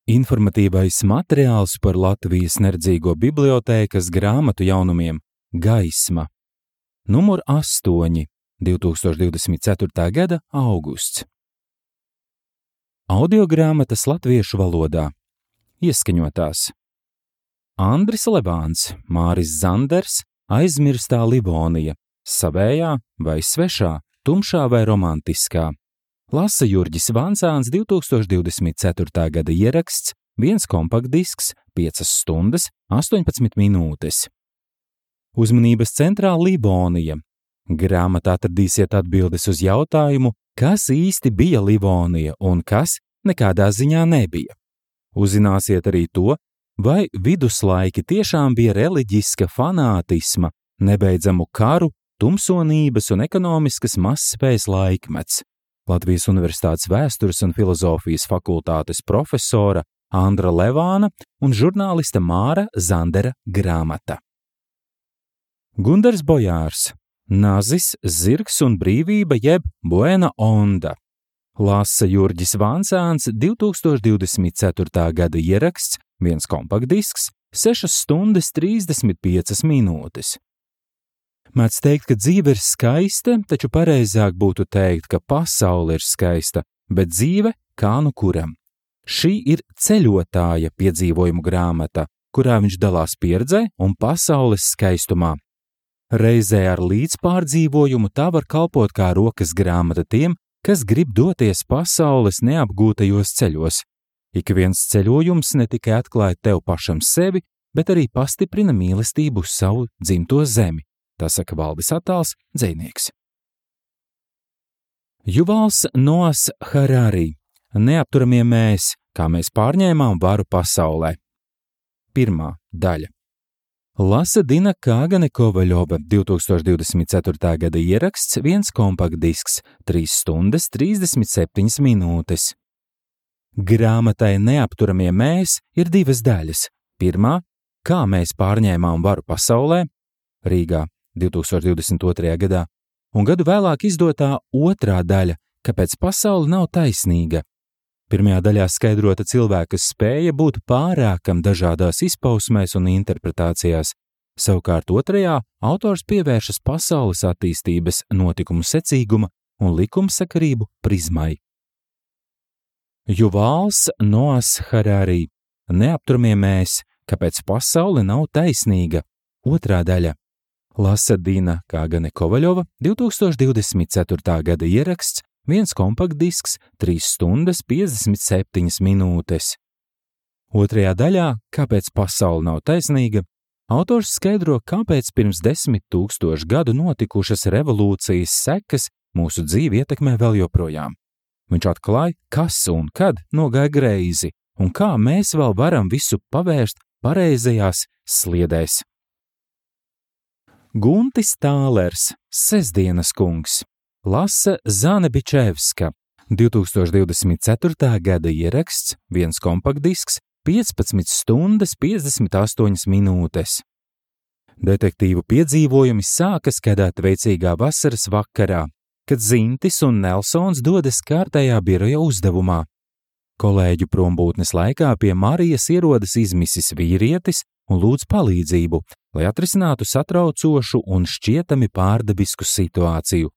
Informatīvais materiāls par Latvijas Neredzīgo bibliotēkas grāmatu jaunumiem Gaisma. Numur 8, 2024. gada augusts. Audiogrāmatas latviešu valodā. Ieskaņotās. Andris Levāns, Māris Zanders, Aizmirstā Livonija, savējā vai svešā, tumšā vai romantiskā. Lasa Jurģis Vancāns, 2024. gada ieraksts, 1 kompaktdisks, 5 stundas, 18 minūtes. Uzmanības centrā Livonija. Grāmatā atradīsiet atbildes uz jautājumu, kas īsti bija Livonija un kas nekādā ziņā nebija. Uzzināsiet arī to, vai viduslaiki tiešām bija reliģiska fanātisma, nebeidzamu karu, tumsonības un ekonomiskas mazspējas laikmets. Latvijas Universitātes vēstures un filozofijas fakultātes profesora Andra Levāna un žurnālista Māra Zandera grāmata. Gundars Bojārs, Nazis, zirgs un brīvība jeb Buena onda. Lasa Jurģis Vancāns, 2024. gada ieraksts, 1 kompaktdisks, 6 stundas 35 minūtes. Mēdz teikt, ka dzīve ir skaista, taču pareizāk būtu teikt, ka pasaule ir skaista, bet dzīve kā nu kuram. Šī ir ceļotāja piedzīvojumu grāmata, kurā viņš dalās pieredzē un pasaules skaistumā. Reizē ar līdzpārdzīvojumu tā var kalpot kā rokas grāmata tiem, kas grib doties pasaules neapgūtajos ceļos. Ik viens ceļojums ne tikai atklāja tev pašam sevi, bet arī pastiprina mīlestību uz savu dzimto zemi. Tā saka Valdis Attāls, dzejnieks. Juvals Noas Harari. Neapturamie mēs, kā mēs pārņēmām varu pasaulē. 1. daļa. Lasa Dina Kāgane Kovaļova, 2024. gada ieraksts, 1 kompaktdisks, 3 stundas 37 minūtes. Grāmatai Neapturamie mēs ir 2 daļas. 1. Kā mēs pārņēmām varu pasaulē, Rīgā, 2022. gadā, un gadu vēlāk izdotā 2. daļa, kāpēc pasaule nav taisnīga. 1. daļā skaidrota cilvēka spēja būt pārākam dažādās izpausmēs un interpretācijās, savukārt 2. autors pievēršas pasaules attīstības notikumu secīguma un likumsakarību prizmai. Juvals Noas Harari. Neapturamie mēs, kāpēc pasaule nav taisnīga. 2. daļa. Lasa Dina Kāgane Kovaļova, 2024. gada ieraksts, 1 kompaktdisks, 3 stundas 57 minūtes. 2. daļā, kāpēc pasaule nav taisnīga, autors skaidro, kāpēc pirms 10 000 gadu notikušas revolūcijas sekas mūsu dzīvi ietekmē vēl joprojām. Viņš atklāja, kas un kad nogāja greizi, un kā mēs vēl varam visu pavērst pareizajās sliedēs. Guntis Tālers, Sestdienas kungs. Lasa Zane Bičevska, 2024. gada ieraksts, 1 kompaktdisks, 15 stundas 58 minūtes. Detektīvu piedzīvojumi sākas kādā veicīgā vasaras vakarā, kad Zintis un Nelsons dodas kārtējā biroja uzdevumā. Kolēģu prombūtnes laikā pie Marijas ierodas izmisis vīrietis un lūdz palīdzību, lai atrisinātu satraucošu un šķietami pārdabisku situāciju.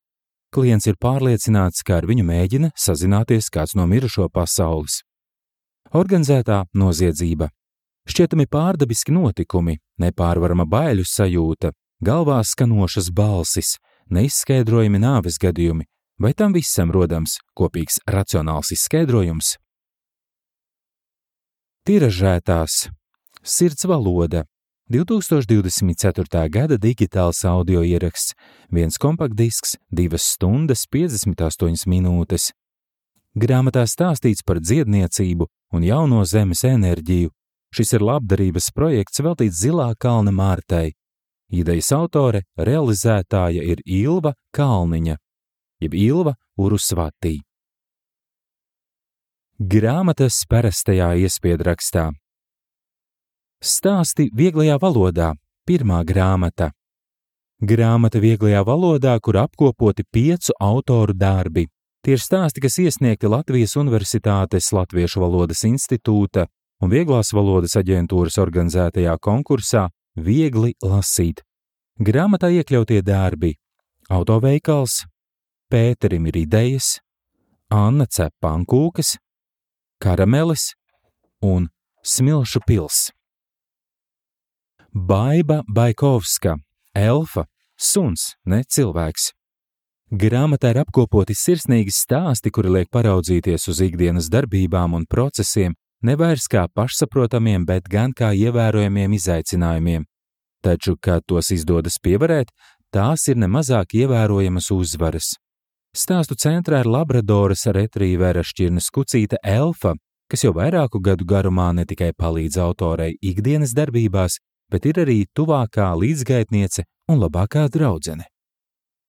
Klients ir pārliecināts, ka ar viņu mēģina sazināties kāds no mirušo pasaules. Organizētā noziedzība. Šķietami pārdabiski notikumi, nepārvarama baiļu sajūta, galvā skanošas balsis, neizskaidrojami nāves gadījumi, vai tam visam rodams kopīgs racionāls izskaidrojums? Tiražētās. Sirds valoda. 2024. gada digitāls audio ieraksts, 1 kompaktdisks, 2 stundas 58 minūtes. Grāmatā stāstīts par dziedniecību un jauno zemes enerģiju. Šis ir labdarības projekts veltīts Zilā kalna Mārtai. Idejas autore, realizētāja ir Ilva Kalniņa, jeb Ilva Urusvatī. Grāmatas parastajā iespiedrakstā. Stāsti vieglajā valodā. 1. grāmata. Grāmata vieglajā valodā, kur apkopoti 5 autoru darbi. Tie ir stāsti, kas iesniegti Latvijas Universitātes Latviešu valodas institūta, un Vieglās valodas aģentūras organizētajā konkursā Viegli lasīt. Grāmatā iekļautie darbi: Autoveikals, Pēterim ir idejas, Anna cep pankūkas, Karamelis un Smilšu pils. Baiba Baikovska, elfa, suns, ne cilvēks. Grāmatā ir apkopoti sirsnīgi stāsti, kuri liek paraudzīties uz ikdienas darbībām un procesiem, nevairs kā pašsaprotamiem, bet gan kā ievērojamiem izaicinājumiem. Taču, kad tos izdodas pievarēt, tās ir nemazāk ievērojamas uzvaras. Stāstu centrā ir Labradoras retrīvera šķirnes kucīte Elfa, kas jau vairāku gadu garumā ne tikai palīdz autorei ikdienas darbībās, bet ir arī tuvākā līdzgaitniece un labākā draudzene.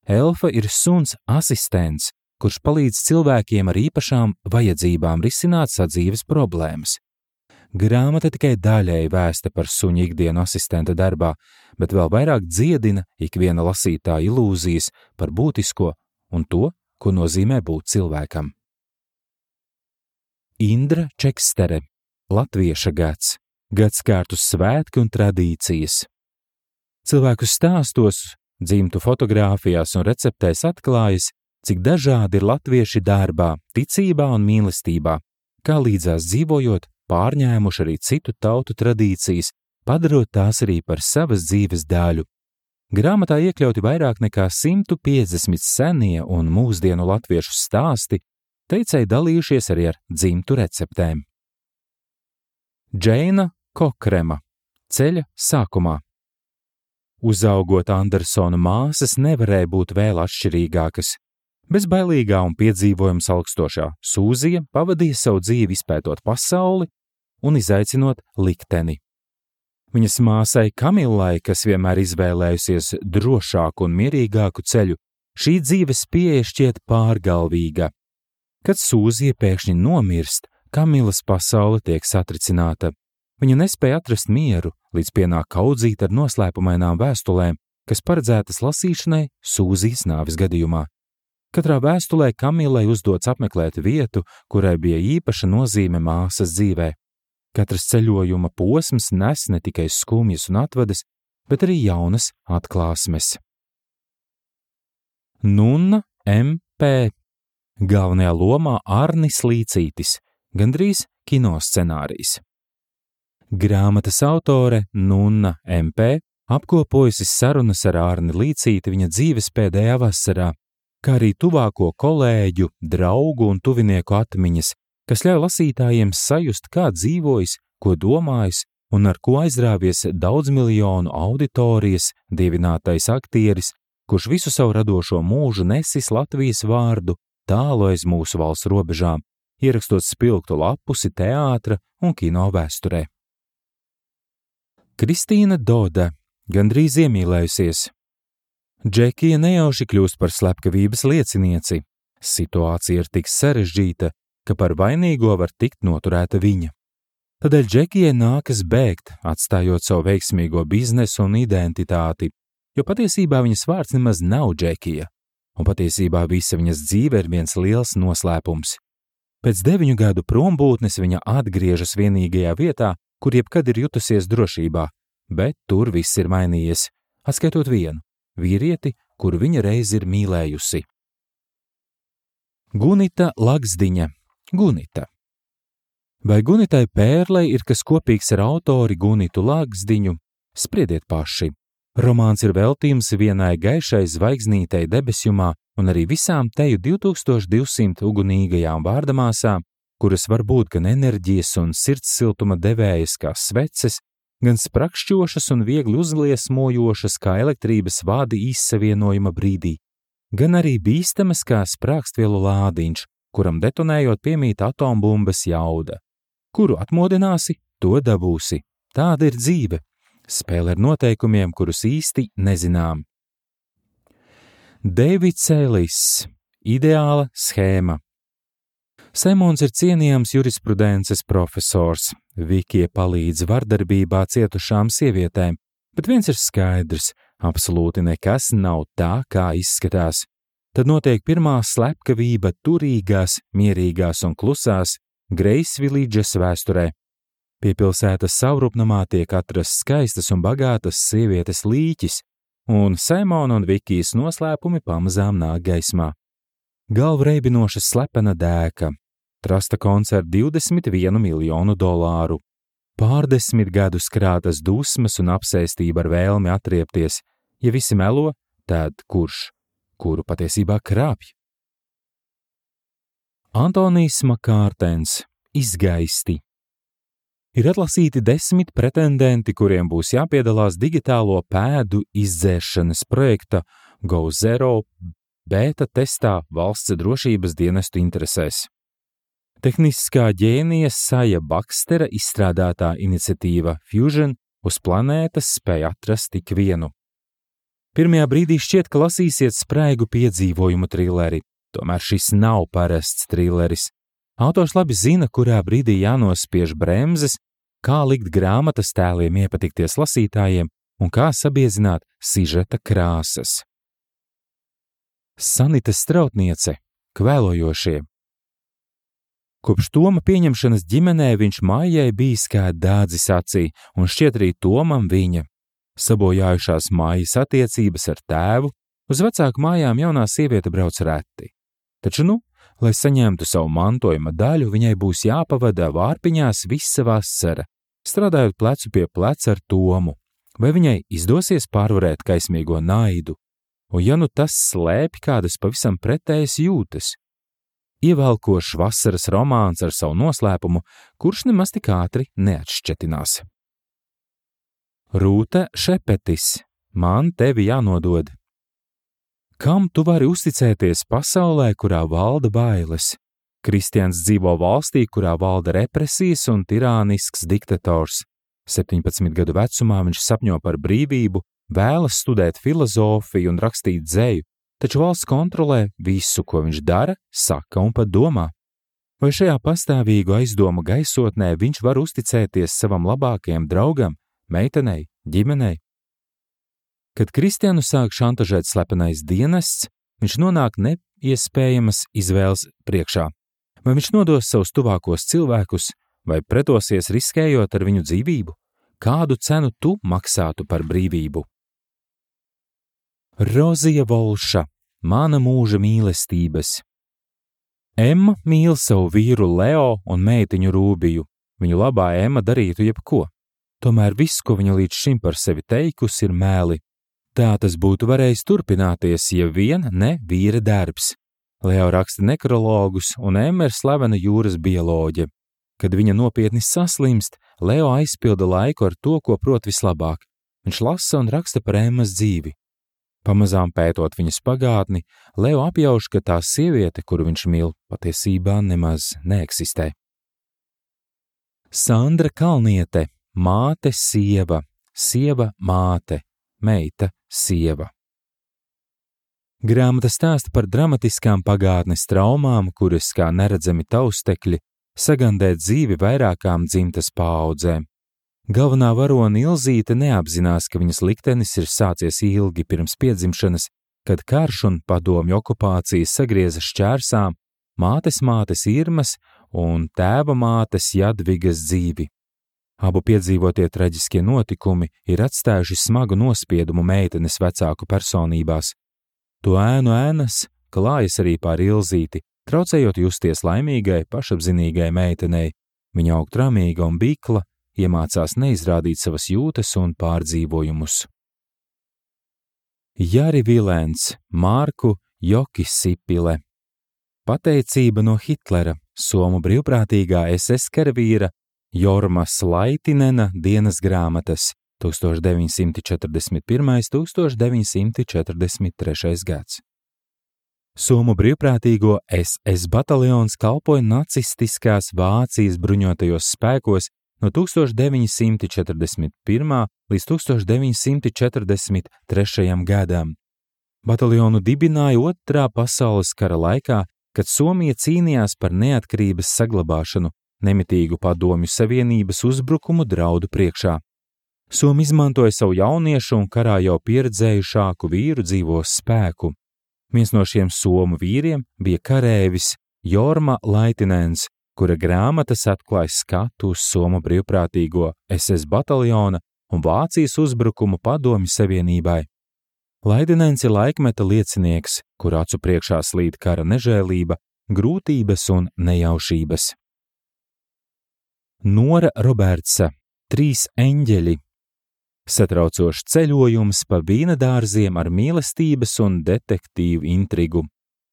Elfa ir suns asistents, kurš palīdz cilvēkiem ar īpašām vajadzībām risināt sadzīves problēmas. Grāmata tikai daļēji vēsta par suņa ikdienu asistenta darbā, bet vēl vairāk dziedina ikviena lasītāja ilūzijas par būtisko un to, ko nozīmē būt cilvēkam. Indra Čekstere, Latvieša gads, gadskārtu svētki un tradīcijas. Cilvēku stāstos, dzimtu fotogrāfijās un receptēs atklājas, cik dažādi ir latvieši darbā, ticībā un mīlestībā, kā līdzās dzīvojot, pārņēmuši arī citu tautu tradīcijas, padarot tās arī par savas dzīves daļu. Grāmatā iekļauti vairāk nekā 150 senie un mūsdienu latviešu stāsti, teicēji dalījušies arī ar dzimtu receptēm. Džeina Kokrema, Ceļa sākumā. Uzaugot Andersona māsas nevarēja būt vēl atšķirīgākas. Bezbailīgā un piedzīvojums augstošā Sūzija pavadīja savu dzīvi izpētot pasauli un izaicinot likteni. Viņas māsai Kamilai, kas vienmēr izvēlējusies drošāku un mierīgāku ceļu, šī dzīves pieeja šķiet pārgalvīga. Kad Sūzija pēkšņi nomirst, Kamilas pasaule tiek satricināta. Viņa nespēja atrast mieru, līdz pienāk kaudzīta ar noslēpumainām vēstulēm, kas paredzētas lasīšanai Sūzijas nāves gadījumā. Katrā vēstulē Kamilai uzdots apmeklēt vietu, kurai bija īpaša nozīme māsas dzīvē. Katrs ceļojuma posms nes ne tikai skumjas un atvadas, bet arī jaunas atklāsmes. Nunna M.P. Galvenajā lomā Arnis Līcītis, gandrīz kinoscenārijs. Grāmatas autore Nunna M.P. apkopojusi sarunas ar Arni Līcīti viņa dzīves pēdējā vasarā, kā arī tuvāko kolēģu, draugu un tuvinieku atmiņas, kas ļauj lasītājiem sajust, kā dzīvojis, ko domājis un ar ko aizrāvies daudzmiljonu auditorijas dievinātais aktieris, kurš visu savu radošo mūžu nesis Latvijas vārdu tālu aiz mūsu valsts robežām, ierakstot spilgtu lapusi teātra un kino vēsturē. Kristīna Doda, gandrīz iemīlējusies. Džekija nejauši kļūst par slepkavības liecinieci. Situācija ir tik sarežģīta, ka par vainīgo var tikt noturēta viņa. Tādēļ Džekijai nākas bēgt, atstājot savu veiksmīgo biznesu un identitāti, jo patiesībā viņas vārds nemaz nav Džekija, un patiesībā visa viņas dzīve ir viens liels noslēpums. Pēc 9 gadu prombūtnes viņa atgriežas vienīgajā vietā, kur jebkad ir jutusies drošībā, bet tur viss ir mainījies, atskaitot vienu vīrieti, kuru viņa reiz ir mīlējusi. Gunita Lagsdiņa, Gunita. Vai Gunitai Pērlei ir kas kopīgs ar autori Gunitu Lagsdiņu? Spriediet paši. Romāns ir veltījums vienai gaišai zvaigznītei debesjumā un arī visām teju 2200 ugunīgajām vārdamāsām, kuras var būt gan enerģijas un sirds siltuma devējas kā sveces, gan sprakšķošas un viegli uzliesmojošas kā elektrības vādi izsavienojuma brīdī, gan arī bīstamas kā sprākstvielu lādiņš, kuram detonējot piemīt atombumbas jauda. Kuru atmodināsi, to dabūsi. Tāda ir dzīve. Spēle ar noteikumiem, kurus īsti nezinām. Deivids Ellis, Ideāla schēma. Simons ir cienījams jurisprudences profesors. Vikija palīdz vardarbībā cietušām sievietēm, bet viens ir skaidrs, absolūti nekas nav tā, kā izskatās. Tad notiek pirmā slepkavība turīgās, mierīgās un klusās Greisvilīdžas vēsturē. Pie pilsētas savrupnamā tiek atrasts skaistas un bagātas sievietes līķis, un Saimona un Vikijas noslēpumi pamazām nāk gaismā. Galvu reibinoša slepena dēka, trasta konts ar $21 miljonu, pārdesmit gadus krātas dusmas un apsēstība ar vēlmi atriepties. Ja visi melo, tad kuru patiesībā krāpj? Antonijs Makārtens, Izgaisti. Ir atlasīti 10 pretendenti, kuriem būs jāpiedalās digitālo pēdu izdzēšanas projekta GoZero bēta testā valsts drošības dienestu interesēs. Tehniskā ģēnija Saja Bakstera izstrādātā iniciatīva Fusion uz planētas spēja atrast tik vienu. Pirmajā brīdī šķiet, ka lasīsiet spraigu piedzīvojumu trileri, tomēr šis nav parasts trileris. Autors labi zina, kurā brīdī jānospiež bremzes, kā likt grāmatas tēliem iepatikties lasītājiem un kā sabiezināt sižeta krāsas. Sanita Strautniece, Kvēlojošie. Kopš Toma pieņemšanas ģimenē viņš Maijai bijis kā dādzis acī, un šķiet arī Tomam viņa. Sabojājušās Maijas attiecības ar tēvu, uz vecāku mājām jaunā sieviete brauc reti. Taču lai saņemtu savu mantojuma daļu, viņai būs jāpavada Vārpiņās visa vasara, strādājot plecu pie pleca ar Tomu. Vai viņai izdosies pārvarēt kaismīgo naidu? Un ja tas slēpj kādas pavisam pretējas jūtas? Ievelkošs vasaras romāns ar savu noslēpumu, kurš nemaz tik ātri neatšķetinās. Rūta Šepetis, Man tevi jānodod. Kam tu vari uzticēties pasaulē, kurā valda bailes? Kristians dzīvo valstī, kurā valda represijas un tirānisks diktators. 17 gadu vecumā viņš sapņo par brīvību, vēlas studēt filozofiju un rakstīt dzeju, taču valsts kontrolē visu, ko viņš dara, saka un pat domā. Vai šajā pastāvīgu aizdomu gaisotnē viņš var uzticēties savam labākajam draugam, meitenei, ģimenei? Kad Kristianu sāk šantažēt slepenais dienests, viņš nonāk neiespējamas izvēles priekšā. Vai viņš nodos savus tuvākos cilvēkus, vai pretosies riskējot ar viņu dzīvību? Kādu cenu tu maksātu par brīvību? Rozija Volša, Mana mūža mīlestības. Emma mīl savu vīru Leo un meitiņu Rūbiju. Viņu labā Emma darītu jebko. Tomēr viss, ko viņa līdz šim par sevi teikusi, ir mēli. Tā tas būtu varējis turpināties, ja vien ne vīra darbs. Leo raksta nekrologus un Emma ir slavena jūras bioloģe. Kad viņa nopietni saslimst, Leo aizpilda laiku ar to, ko prot vislabāk. Viņš lasa un raksta par Emmas dzīvi. Pamazām pētot viņas pagātni, Leo apjauš, ka tā sieviete, kuru viņš mīl, patiesībā nemaz neeksistē. Sandra Kalniete, Māte sieva, sieva māte, meita sieva. Grāmata stāsta par dramatiskām pagātnes traumām, kuras kā neredzami taustekļi sagandē dzīvi vairākām dzimtas paaudzēm. Galvenā varone Ilzīte neapzinās, ka viņas liktenis ir sācies ilgi pirms piedzimšanas, kad karš un padomju okupācija sagrieza šķērsām mātes Irmas un tēva mātes Jadvigas dzīvi. Abu piedzīvotie traģiskie notikumi ir atstājuši smagu nospiedumu meitenes vecāku personībās. To ēnu ēnas klājas arī pār Ilzīti, traucējot justies laimīgai, pašapzinīgai meitenei. Viņa aug tramīga un bikla, iemācās neizrādīt savas jūtas un pārdzīvojumus. Jari Vilēns, Marku Jokisipile. Pateicība no Hitlera, somu brīvprātīgā SS karavīra Jormas Laitinena dienas grāmatas 1941–1943 gads. Somu brīvprātīgo SS bataljons kalpoja nacistiskās Vācijas bruņotajos spēkos no 1941. līdz 1943. gadam. Bataljonu dibināja Otrā pasaules kara laikā, kad Somija cīnījās par neatkarības saglabāšanu, nemitīgu padomju savienības uzbrukumu draudu priekšā. Somi izmantoja savu jauniešu un karā jau pieredzējušāku vīru dzīvo spēku. Viens no šiem somu vīriem bija karēvis Jorma Laitinens, kura grāmatas atklāj skatu uz Somu brīvprātīgo SS bataljona un Vācijas uzbrukumu Padomju Savienībai. Laidinens ir laikmeta liecinieks, kur acu priekšā slīd kara nežēlība, grūtības un nejaušības. Nora Robertsa, 3 eņģeļi. Satraucošs ceļojums pa vīnadārziem ar mīlestības un detektīvu intrigu.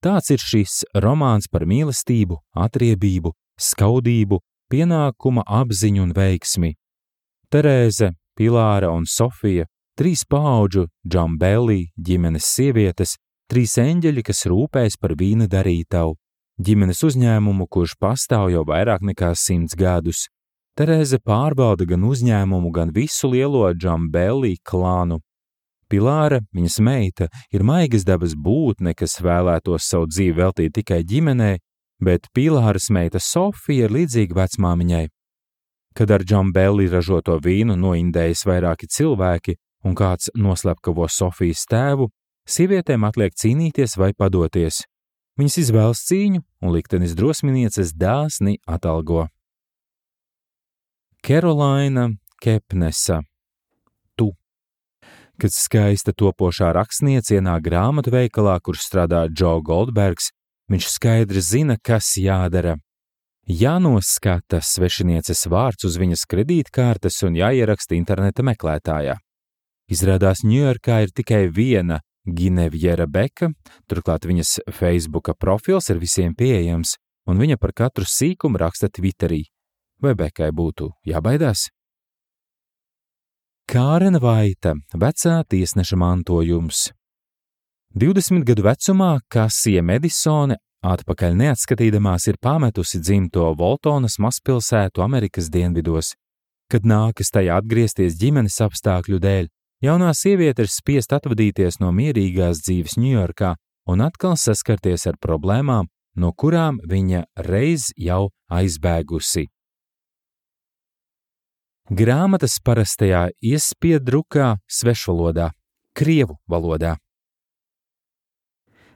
Tāds ir šis romāns par mīlestību, atriebību, skaudību, pienākuma apziņu un veiksmi. Terēze, Pilāra un Sofija, 3 paudžu Džambelī ģimenes sievietes, 3 eņģeļi, kas rūpēs par vīna darītavu, ģimenes uzņēmumu, kurš pastāv jau vairāk nekā 100 gadus. Terēze pārbauda gan uzņēmumu, gan visu lielo Džambelī klānu. Pilāra, viņas meita, ir maigas dabas būtne, kas vēlētos savu dzīvi veltīt tikai ģimenei, bet Pilāras meita Sofija ir līdzīga vecmāmiņai. Kad ar Džambelī ražoto vīnu noindējas vairāki cilvēki un kāds noslepkavo Sofijas tēvu, sievietēm atliek cīnīties vai padoties. Viņas izvēlas cīņu un liktenis drosminieces dāsni atalgo. Kerolaina Kepnesa, Tu. Kad skaista topošā rakstniece ienāk grāmatu veikalā, kur strādā Džo Goldbergs, viņš skaidri zina, kas jādara. Jānoskata svešinieces vārds uz viņas kredītkartes un jāieraksta interneta meklētājā. Izrādās Ņujorkā ir tikai viena Ginevjera Beka, turklāt viņas Facebooka profils ir visiem pieejams, un viņa par katru sīkumu raksta Twitterī. Vai Bekai būtu jābaidās? Kārena Vaita, vecā tiesneša mantojums. 20 gadu vecumā Kasija Medisone atpakaļ neatskatīdamās ir pametusi dzimto Voltonas mazpilsētu Amerikas dienvidos. Kad nākas tajā atgriezties ģimenes apstākļu dēļ, jaunā sieviete ir spiest atvadīties no mierīgās dzīves Ņujorkā un atkal saskarties ar problēmām, no kurām viņa reiz jau aizbēgusi. Grāmatas parastajā iespiedrukā svešvalodā, krievu valodā.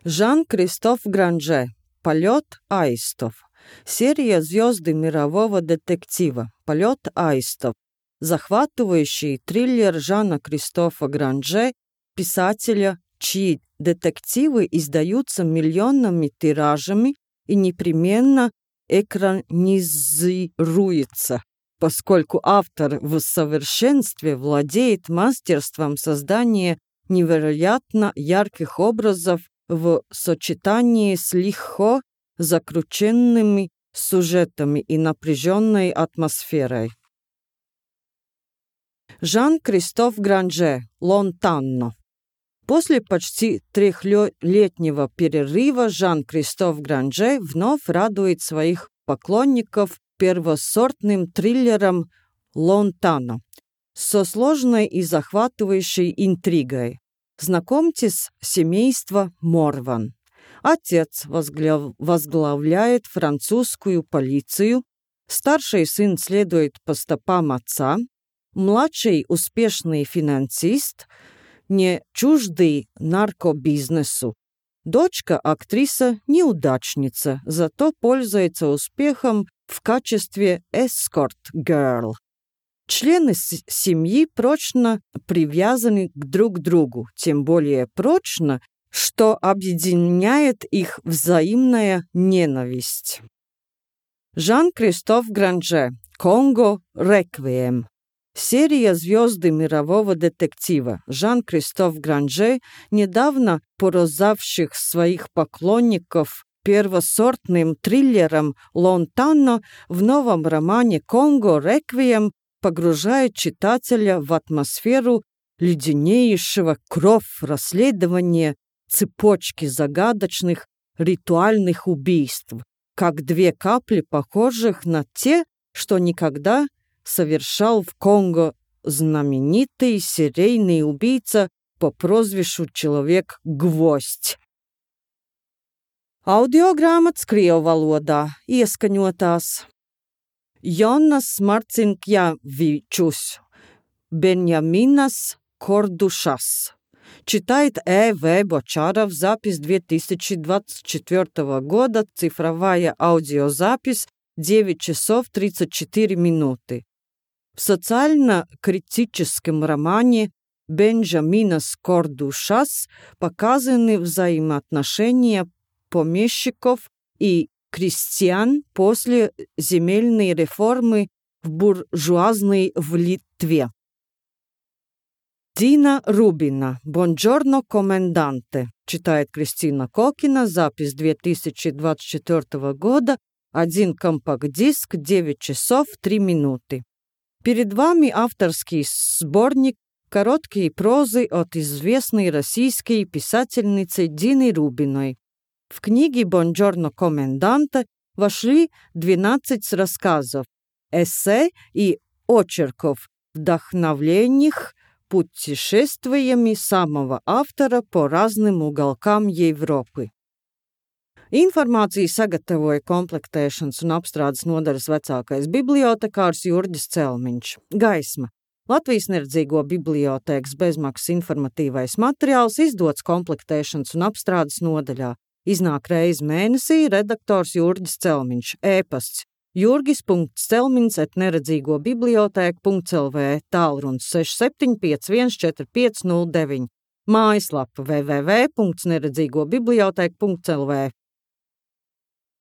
Жан-Кристоф Гранже. Полет аистов. Серия «Звезды мирового детектива». Полет аистов. Захватывающий триллер Жана-Кристофа Гранже, писателя, чьи детективы издаются миллионными тиражами и непременно экранизируется, поскольку автор в совершенстве владеет мастерством создания невероятно ярких образов в сочетании с легко закрученными сюжетами и напряженной атмосферой. Жан-Кристоф Гранже. Лонтанно. После почти 3-летнего перерыва Жан-Кристоф Гранже вновь радует своих поклонников первосортным триллером «Лонтанно» со сложной и захватывающей интригой. Знакомьтесь, семейство Морван. Отец возглавляет французскую полицию, старший сын следует по стопам отца, младший успешный финансист, не чуждый наркобизнесу. Дочка актриса-неудачница, зато пользуется успехом в качестве эскорт-герл. Члены семьи прочно привязаны друг к другу, тем более прочно, что объединяет их взаимная ненависть. Жан-Кристоф Гранже. Конго Реквием. Серия «Звезды мирового детектива». Жан-Кристоф Гранже, недавно поразивших своих поклонников первосортным триллером «Лонтанно», в новом романе «Конго Реквием» погружает читателя в атмосферу леденеющего кровь расследования цепочки загадочных ритуальных убийств, как 2 капли, похожих на те, что никогда совершал в Конго знаменитый серийный убийца по прозвищу Человек-Гвоздь. Audiogrāmatas krievu valodā ieskaņotās Jonas Marcinkjavičus, Беньяминас Кордушас. Читает Э.В. Бочаров. Запись 2024 года. Цифровая аудиозапись 9 часов 34 минуты. В социально-критическом романе Бенджамина Кордушас показаны взаимоотношения помещиков и крестьян после земельной реформы в буржуазной в Литве. Дина Рубина «Бонджорно, коменданте», читает Кристина Кокина, запись 2024 года, 1 компакт-диск, 9 часов 3 минуты. Перед вами авторский сборник короткие прозы от известной российской писательницы Дины Рубиной. В книге «Бонджорно, коменданте» вошли 12 рассказов, эссе и очерков, вдохновленных путешествиями самого автора по разным уголкам Европы. Informāciju sagatavoja komplektēšanas un apstrādes nodaļas vecākais bibliotekārs Jurģis Celmiņš. Gaisma. Latvijas neredzīgo bibliotēkas bezmaksas informatīvais materiāls izdots komplektēšanas un apstrādes nodaļā. Iznāk reizi mēnesī, redaktors Jurģis Celmiņš. E-pasts jurgis.celmiņš@neredzīgobibliotēka.lv, tālrunis 67514509, mājaslapa www.neredzīgobibliotēka.lv.